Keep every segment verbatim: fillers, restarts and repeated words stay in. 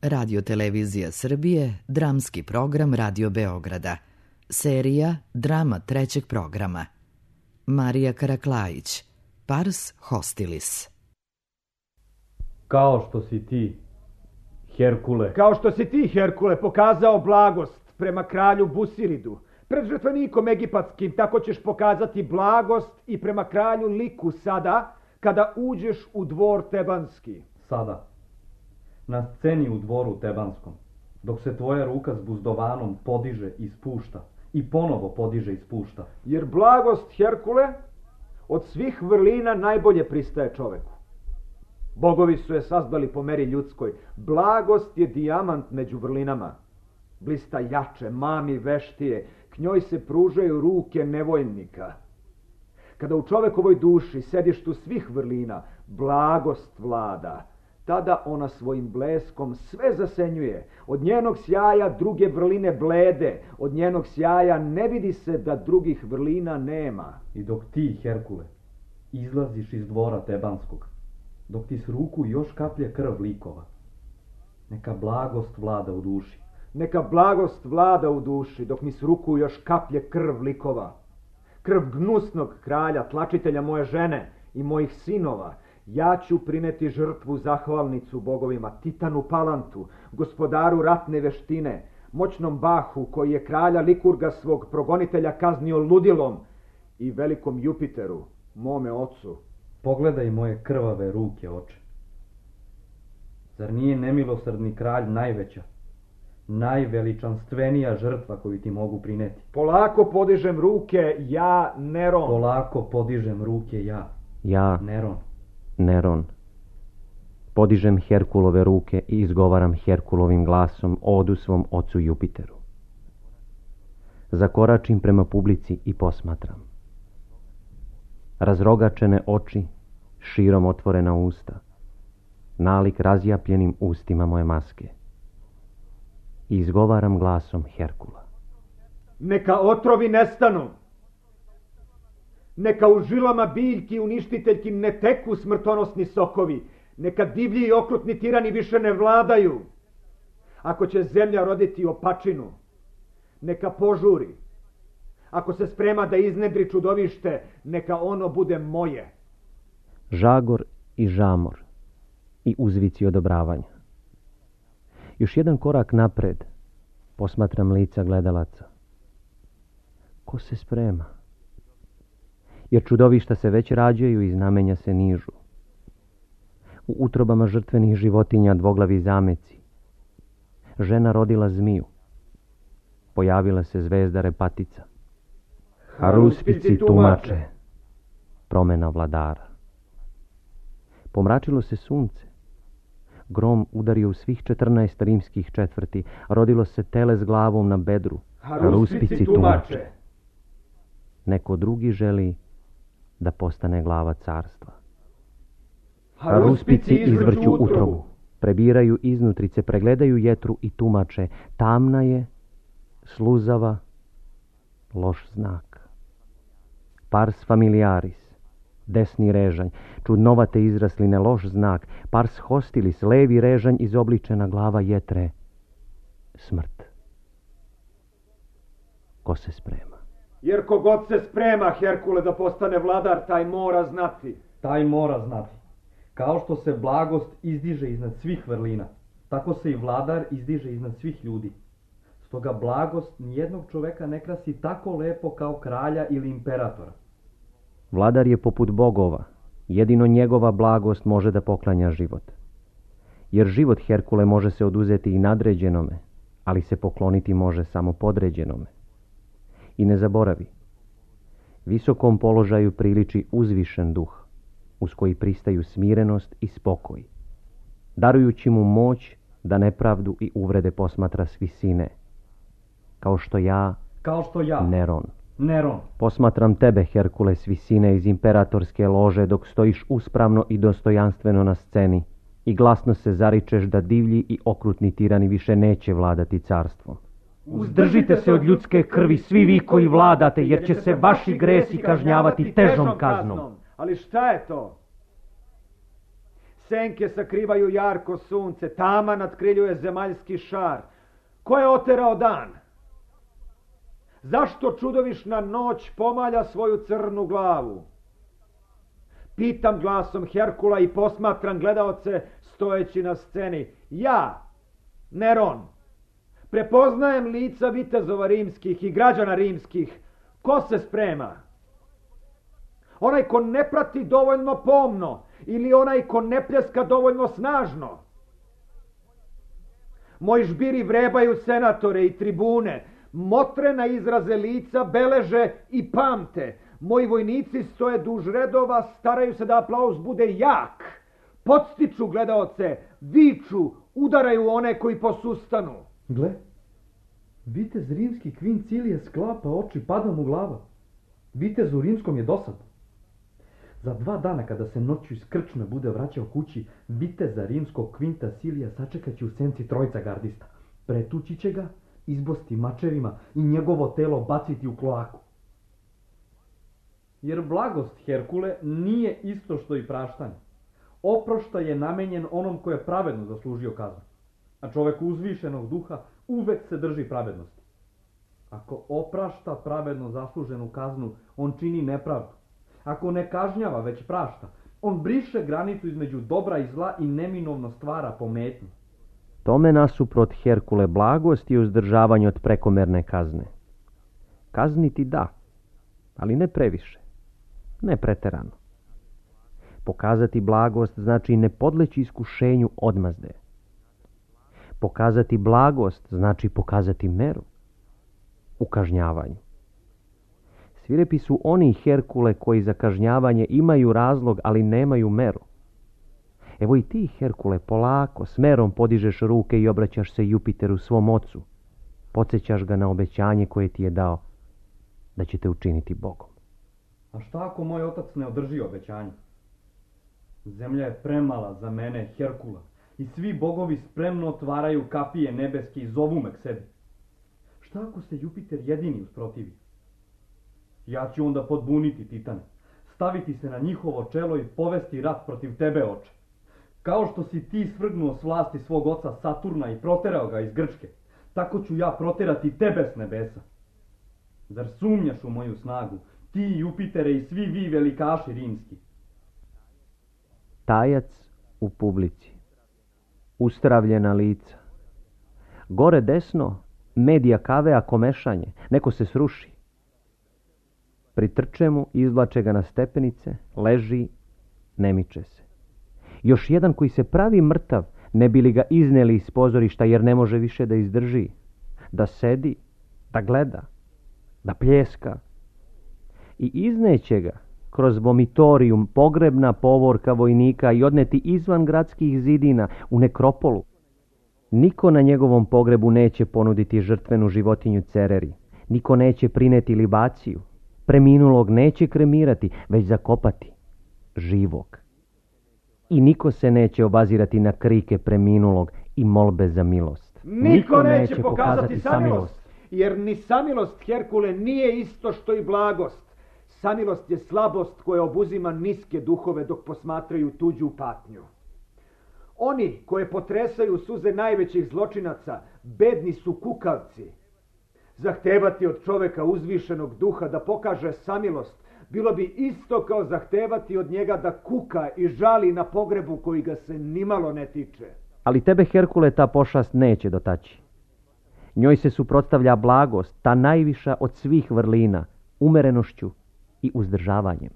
Radio-televizija Srbije, dramski program Radio Beograda. Serija Drama trećeg programa. Marija Karaklajić, Pars Hostilis. Kao što si ti, Herkule. Kao što si ti, Herkule, pokazao blagost prema kralju Busiridu, pred žrtvenikom egipatskim, tako ćeš pokazati blagost i prema kralju Liku sada, kada uđeš u dvor tebanski. Sada, na sceni u dvoru tebanskom, dok se tvoja ruka s buzdovanom podiže i spušta, i ponovo podiže i spušta. Jer blagost, Herkule, od svih vrlina najbolje pristaje čoveku. Bogovi su je sazdali po meri ljudskoj. Blagost je dijamant među vrlinama. Blista jače, mami veštije, k njoj se pružaju ruke nevoljnika. Kada u čovekovoj duši, sedištu svih vrlina, blagost vlada, tada ona svojim bleskom sve zasenjuje. Od njenog sjaja druge vrline blede, od njenog sjaja ne vidi se da drugih vrlina nema. I dok ti, Herkule, izlaziš iz dvora tebanskog, dok ti s ruku još kaplje krv likova, neka blagost vlada u duši. Neka blagost vlada u duši, dok mi s ruku još kaplje krv likova. Krv gnusnog kralja, tlačitelja moje žene i mojih sinova. Ja ću prineti žrtvu zahvalnicu bogovima, Titanu Palantu, gospodaru ratne veštine, moćnom Bahu koji je kralja Likurga svog progonitelja kaznio ludilom, i velikom Jupiteru, mome ocu. Pogledaj moje krvave ruke, oče. Zar nije nemilosrdni kralj najveća, najveličanstvenija žrtva koju ti mogu prineti? Polako podižem ruke, ja, Neron. Polako podižem ruke, ja, ja, Neron. Neron. Podižem Herkulove ruke i izgovaram Herkulovim glasom odu svom ocu Jupiteru. Zakoračim prema publici i posmatram. Razrogačene oči, širom otvorena usta, nalik razjapljenim ustima moje maske. I izgovaram glasom Herkula. Neka otrovi nestanu. Neka u žilama biljki uništiteljki ne teku smrtonosni sokovi. Neka divlji i okrutni tirani više ne vladaju. Ako će zemlja roditi opačinu, neka požuri. Ako se sprema da iznedri čudovište, neka ono bude moje. Žagor i žamor i uzvici odobravanja. Još jedan korak napred posmatram lica gledalaca. Ko se sprema? Jer čudovišta se već rađaju i znamenja se nižu. U utrobama žrtvenih životinja dvoglavi zameci. Žena rodila zmiju. Pojavila se zvezda repatica. Haruspici tumače. Promena vladara. Pomračilo se sunce. Grom udario u svih četrnaest rimskih četvrti. Rodilo se tele s glavom na bedru. Haruspici tumače. Neko drugi želi da postane glava carstva. Haruspici izvrću utrobu. Prebiraju iznutrice, pregledaju jetru i tumače. Tamna je, sluzava, loš znak. Pars familiaris, desni režanj, čudnovate izrasline, loš znak. Pars hostilis, levi režanj, izobličena glava jetre, smrt. Ko se sprema? Jer kogod se sprema, Herkule, da postane vladar, taj mora znati. Taj mora znati. Kao što se blagost izdiže iznad svih vrlina, tako se i vladar izdiže iznad svih ljudi. Stoga blagost nijednog čoveka ne krasi tako lepo kao kralja ili imperatora. Vladar je poput bogova. Jedino njegova blagost može da poklanja život. Jer život, Herkule, može se oduzeti i nadređenome, ali se pokloniti može samo podređenome. I ne zaboravi, visokom položaju priliči uzvišen duh, uz koji pristaju smirenost i spokoj, darujući mu moć da nepravdu i uvrede posmatra s visine, kao što ja, kao što ja, Neron, Neron, posmatram tebe, Herkule, s visine iz imperatorske lože, dok stojiš uspravno i dostojanstveno na sceni i glasno se zaričeš da divlji i okrutni tirani više neće vladati carstvom. Uzdržite se od ljudske krvi, svi vi koji vladate, jer će se vaši gresi kažnjavati težom kaznom. Ali šta je to? senke sakrivaju jarko sunce, tama natkriljuje zemaljski šar. Ko je oterao dan? Zašto čudovišna noć pomalja svoju crnu glavu? Pitam glasom Herkula i posmatram gledaoce stojeći na sceni. Ja, Neron, prepoznajem lica vitezova rimskih i građana rimskih. Ko se sprema? Onaj ko ne prati dovoljno pomno ili onaj ko ne pljeska dovoljno snažno? Moji žbiri vrebaju senatore i tribune, motre na izraze lica beleže i pamte. Moji vojnici stoje duž redova, staraju se da aplauz bude jak. Podstiču gledaoce, viču, udaraju one koji posustanu. Gle, vitez rimski Kvin Cilije sklapa oči, pada mu glava. Vitezu rimskom je dosadno. Za dva dana kada se noću iz krčme bude vraćao kući, viteza rimskog Kvinta Silija sačekat će u senci trojica gardista. Pretući će ga, izbosti mačevima i njegovo telo baciti u kloaku. Jer blagost, Herkule, nije isto što i praštanje. Oproštaj je namenjen onom ko je pravedno zaslužio kaznu, a čovek uzvišenog duha uvek se drži pravednosti. Ako oprašta pravedno zasluženu kaznu, on čini nepravdu. Ako ne kažnjava, već prašta, on briše granicu između dobra i zla i neminovno stvara pometnju. Tome nasuprot Herkule blagost i uzdržavanje od prekomerne kazne. Kazniti da, ali ne previše, ne preterano. Pokazati blagost znači ne podleći iskušenju odmazde. Pokazati blagost znači pokazati meru u kažnjavanju. Svirepi su oni Herkule koji za kažnjavanje imaju razlog, ali nemaju meru. Evo i ti, Herkule, polako, s merom podižeš ruke i obraćaš se Jupiteru, svom ocu. Podsjećaš ga na obećanje koje ti je dao, da će te učiniti Bogom. A šta ako moj otac ne održi obećanje? Zemlja je premala za mene, Herkula, i svi bogovi spremno otvaraju kapije nebeske i zovu me k sebi. Šta ako se Jupiter jedini usprotivi? Ja ću onda podbuniti Titane, staviti se na njihovo čelo i povesti rat protiv tebe, oče. Kao što si ti svrgnuo s vlasti svog oca Saturna i proterao ga iz Grčke, tako ću ja proterati tebe s nebesa. Zar sumnjaš u moju snagu, ti, Jupitere, i svi vi velikaši rimski? Tajac u publici. Ustravljena lica. Gore desno, medija kavea komešanje. Neko se sruši. Pritrče mu, izvlače ga na stepenice, leži, ne miče se. Još jedan koji se pravi mrtav, ne bi li ga izneli iz pozorišta jer ne može više da izdrži. Da sedi, da gleda, da pljeska. I izneće ga kroz vomitorijum, pogrebna povorka vojnika i odneti izvan gradskih zidina u nekropolu. Niko na njegovom pogrebu neće ponuditi žrtvenu životinju Cereri. Niko neće prineti libaciju. Preminulog neće kremirati, već zakopati živog. I niko se neće obazirati na krike preminulog i molbe za milost. Niko, niko neće, neće pokazati samilost, jer ni samilost, Herkule, nije isto što i blagost. Samilost je slabost koja obuzima niske duhove dok posmatraju tuđu patnju. Oni koje potresaju suze najvećih zločinaca, bedni su kukavci. Zahtevati od čoveka uzvišenog duha da pokaže samilost bilo bi isto kao zahtevati od njega da kuka i žali na pogrebu koji ga se nimalo ne tiče. Ali tebe, Herkule, ta pošast neće dotaći. Njoj se suprotstavlja blagost, ta najviša od svih vrlina, umerenošću i uzdržavanjem.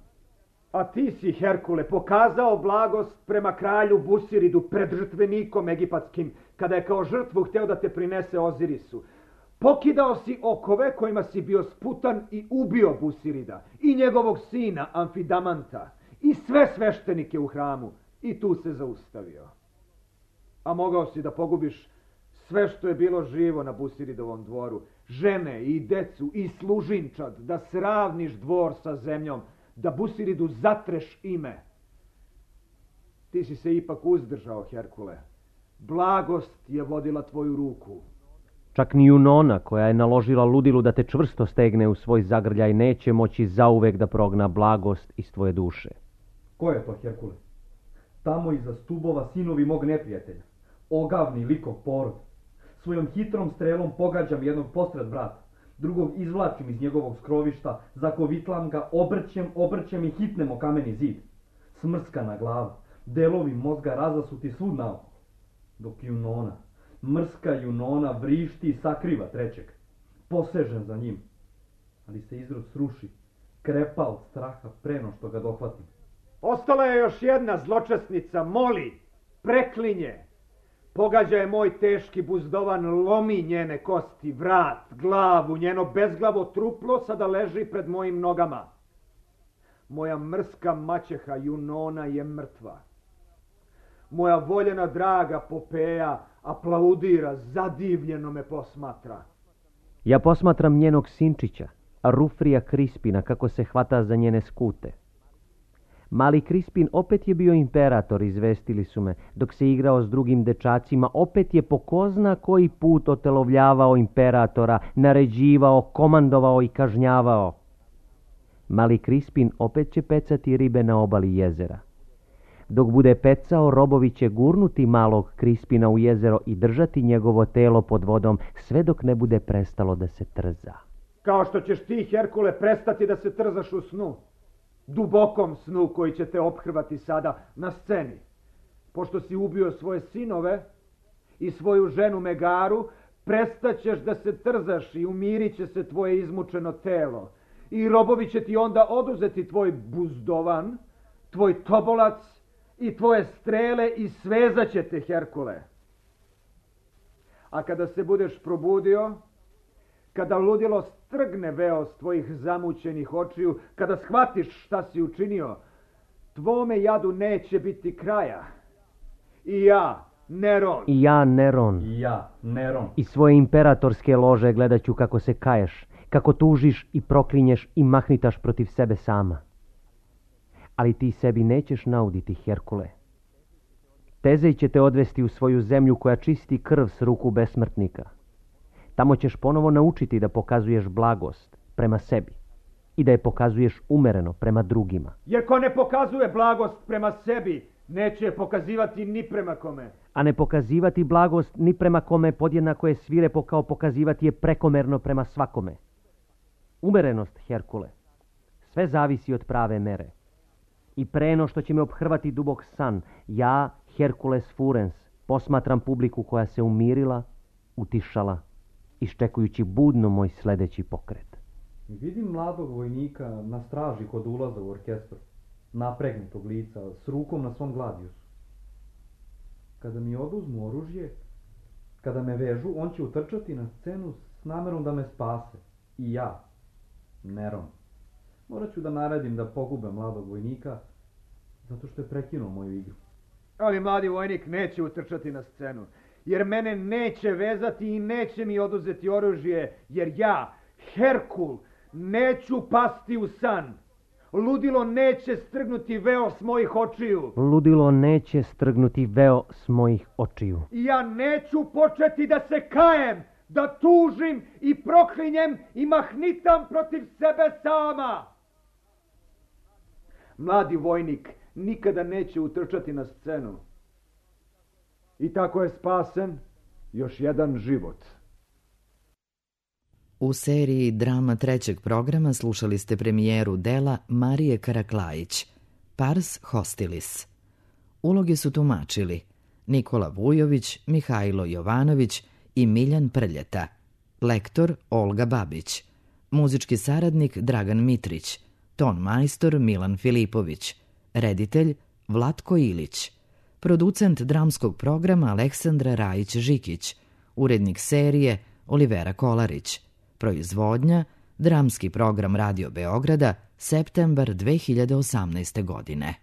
A ti si, Herkule, pokazao blagost prema kralju Busiridu pred žrtvenikom egipatskim, kada je kao žrtvu hteo da te prinese Ozirisu. Pokidao si okove kojima si bio sputan i ubio Busirida i njegovog sina Amfidamanta i sve sveštenike u hramu i tu se zaustavio. A mogao si da pogubiš sve što je bilo živo na Busiridovom dvoru, žene i decu i služinčad, da sravniš dvor sa zemljom, da Busiridu zatreš ime. Ti si se ipak uzdržao, Herkule. Blagost je vodila tvoju ruku. Čak ni Junona, koja je naložila ludilu da te čvrsto stegne u svoj zagrljaj, neće moći zauvek da progna blagost iz tvoje duše. Ko je to, Herkule? Tamo iza stubova sinovi mog neprijatelja, ogavni likov porod. Svojom hitrom strelom pogađam jednog postred brata, drugog izvlačim iz njegovog skrovišta, zakovitlam ga, obrćem, obrćem i hitnem o kameni zid. Smrskana glava, delovi mozga razasuti svud naokolo, dok Junona, mrska Junona vrišti i sakriva trećeg. Posežem za njim, ali se izrod sruši, krepa od straha preno što ga dohvatim. Ostala je još jedna zločesnica, moli, preklinje. Pogađa je moj teški buzdovan, lomi njene kosti, vrat, glavu, njeno bezglavo truplo sada leži pred mojim nogama. Moja mrska maćeha Junona je mrtva. Moja voljena draga Popeja aplaudira, zadivljeno me posmatra. Ja posmatram njenog sinčića, Rufrija Krispina, kako se hvata za njene skute. Mali Krispin opet je bio imperator, izvestili su me, dok se igrao s drugim dečacima, opet je po ko zna koji put otelovljavao imperatora, naređivao, komandovao i kažnjavao. Mali Krispin opet će pecati ribe na obali jezera. Dok bude pecao, robovi će gurnuti malog Krispina u jezero i držati njegovo telo pod vodom, sve dok ne bude prestalo da se trza. Kao što ćeš ti, Herkule, prestati da se trzaš u snu. Dubokom snu koji će te ophrvati sada na sceni. Pošto si ubio svoje sinove i svoju ženu Megaru, prestaćeš da se trzaš i umirit će se tvoje izmučeno telo. I robovi će ti onda oduzeti tvoj buzdovan, tvoj tobolac i tvoje strele i svezat će te, Herkule. A kada se budeš probudio, kada ludilo strgne veo s tvojih zamućenih očiju, kada shvatiš šta si učinio, tvome jadu neće biti kraja. I ja, Neron. I ja, Neron. I ja, Neron. I svoje imperatorske lože gledat ću kako se kaješ, kako tužiš i proklinješ i mahnitaš protiv sebe sama. Ali ti sebi nećeš nauditi, Herkule. Tezej će te odvesti u svoju zemlju koja čisti krv s ruku besmrtnika. Tamo ćeš ponovo naučiti da pokazuješ blagost prema sebi i da je pokazuješ umereno prema drugima. Jer ko ne pokazuje blagost prema sebi, neće je pokazivati ni prema kome. A ne pokazivati blagost ni prema kome podjednako je svirepo kao pokazivati je prekomerno prema svakome. Umerenost, Herkule, sve zavisi od prave mere. I preno što će me ophrvati dubok san, ja, Herkules Furens, posmatram publiku koja se umirila, utišala, iščekujući budno moj sledeći pokret. Vidim mladog vojnika na straži kod ulaza u orkestru, napregnutog lica, s rukom na svom gladiusu. Kada mi oduzmu oružje, kada me vežu, on će utrčati na scenu s namerom da me spase. I ja, Neron. Morat ću da naredim da pogube mladog vojnika, zato što je prekinuo moju igru. Ali mladi vojnik neće utrčati na scenu, jer mene neće vezati i neće mi oduzeti oružje, jer ja, Herkul, neću pasti u san. Ludilo neće strgnuti veo s mojih očiju. Ludilo neće strgnuti veo s mojih očiju. I ja neću početi da se kajem, da tužim i proklinjem i mahnitam protiv sebe sama. Mladi vojnik nikada neće utrčati na scenu. I tako je spasen još jedan život. U seriji drama trećeg programa slušali ste premijeru dela Marije Karaklajić, Pars Hostilis. Uloge su tumačili Nikola Vujović, Mihajlo Jovanović i Miljan Prljeta, lektor Olga Babić, muzički saradnik Dragan Mitrić, ton majstor Milan Filipović, reditelj Vlatko Ilić, producent dramskog programa Aleksandra Rajić-Žikić, urednik serije Olivera Kolarić, proizvodnja Dramski program Radio Beograda, septembar dve hiljade osamnaeste godine.